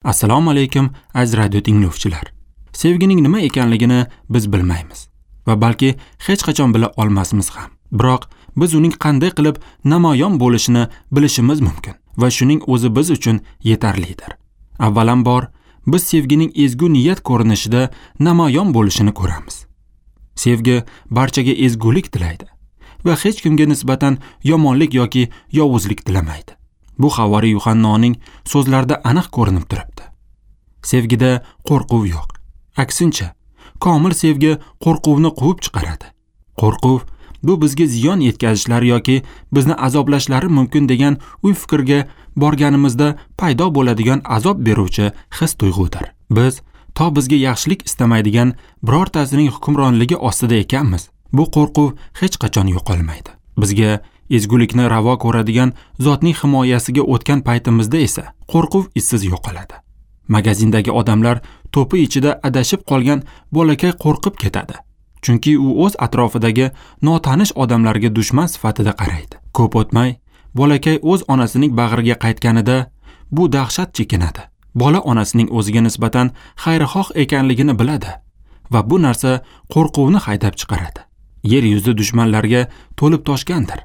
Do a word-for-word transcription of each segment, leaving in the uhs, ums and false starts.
Assalomu alaykum aziz radio tinglovchilar. Sevgining nima ekanligini biz bilmaymiz va balki hech qachon bila olmasmiz ham. Biroq biz uning qanday qilib namoyon bo'lishini bilishimiz mumkin va shuning o'zi biz uchun yetarlidir. Avvalambor biz sevgining ezgu niyat ko'rinishida namoyon bo'lishini ko'ramiz. Sevgi barchaga ezgulik tilaydi va hech kimga nisbatan yomonlik yoki yovuzlik tilamaydi. Bu Havoriy Yuhannoning so'zlarida aniq ko'rinib turibdi. Sevgida qo'rquv yo'q. Aksincha, komil sevgi qo'rquvni quvib chiqaradi. Qo'rquv bu bizga ziyon yetkazishlari yoki bizni azoblashlari mumkin degan o'y-fikrga borganimizda paydo bo'ladigan azob beruvchi his-tuyg'udir. Biz to bizga yaxshilik istamaydigan birortasining hukmronligi ostida ekanmiz. Bu qo'rquv hech qachon yo'qolmaydi. Bizga ezgulikni ravo ko'radigan zotning himoyasiga o'tgan paytimizda esa qo'rquv izsiz yo'qoladi. Magazindagi odamlar to'pi ichida adashib qolgan bolakay qo'rqib ketadi. Chunki u o'z atrofidagi notanish odamlarga dushman sifatida qaraydi. Ko'p o'tmay bolakay o'z onasining bag'riga qaytganida bu dahshat chekinadi. Bola onasining o'ziga nisbatan xayrixoh ekanligini biladi va bu narsa qo'rquvni haydab chiqaradi. Yer yuzi dushmanlarga to'lib toshgandir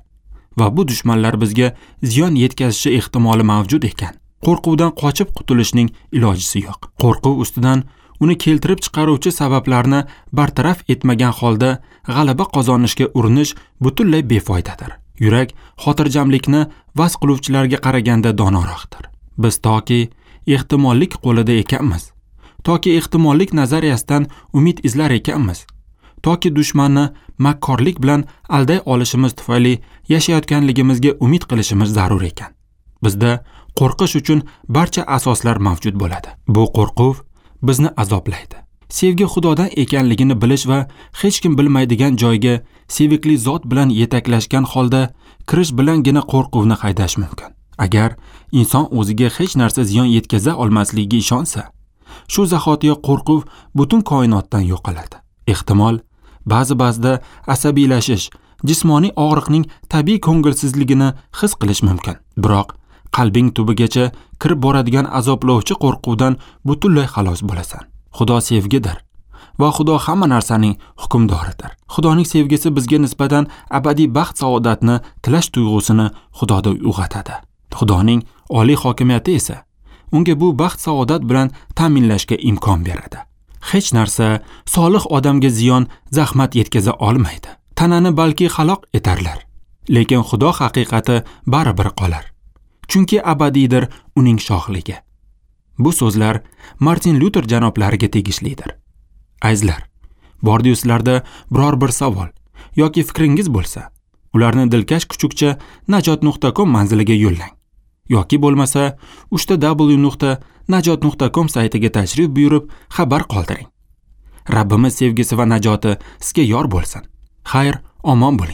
va bu dushmanlar bizga ziyon yetkazishi ehtimoli mavjud ekan. Qo'rquvdan qochib qutulishning ilojisi yo'q. Qo'rquv ustidan uni keltirib chiqaruvchi sabablarni bartaraf etmagan holda g'alaba qozonishga urinish butunlay befoydadir. Yurak xotirjamlikni vaz qiluvchilarga qaraganda donoroqdir. Biz toki ehtimollik qo'lida ekanmiz, toki ehtimollik nazariyasidan umid izlar ekanmiz, toki dushmanni makkorlik bilan alday olishimiz tufayli yashayotganligimizga umid qilishimiz zarur ekan. Bizda qo'rqish uchun barcha asoslar mavjud bo'ladi. Bu qo'rquv bizni azoblaydi. Sevgi Xudodan ekanligini bilish va hech kim bilmaydigan joyga sevikli zot bilan yetaklashgan holda kirish bilangina qo'rquvni haydash mumkin. Agar inson o'ziga hech narsa ziyon yetkaza olmasligiga ishonsa, shu zahotiyoq qo'rquv butun koinotdan yo'qoladi. Ehtimol, ba'zi-ba'zida asabiylashish, jismoniy og'riqning tabiiy ko'ngilsizligini his qilish mumkin. Biroq qalbing tubigacha kirib boradigan azoblovchi qo'rquvdan butunlay xalos bo'lasan. Xudo sevgidir va Xudo hamma narsaning hukmdoridir. Xudoning sevgisi bizga nisbatan abadiy baxt saodatni tilash tuyg'usini Xudoda uyg'otadi. Xudoning oliy hokimiyati esa unga bu baxt saodat bilan ta'minlashga imkon beradi. Hech narsa solih odamga ziyon, zahmat yetkaza olmaydi. Tanani balki halok etarlar, lekin Xudo haqiqati baribir qolar. Chunki abadiydir uning shohligi. Bu so'zlar Martin Lyuter janoblariga tegishlidir. Azizlar, bordi-yu sizlarda biror bir savol yoki fikringiz bo'lsa, ularni dilkash kuchukcha najot nuqta com manziliga yo'llang. Yoki bo'lmasa uchta w nuqta najot nuqta com saytiga tashrif buyurib xabar qoldiring. Rabbimiz sevgisi va najoti sizga yor bo'lsin. Xayr, omon bo'ling.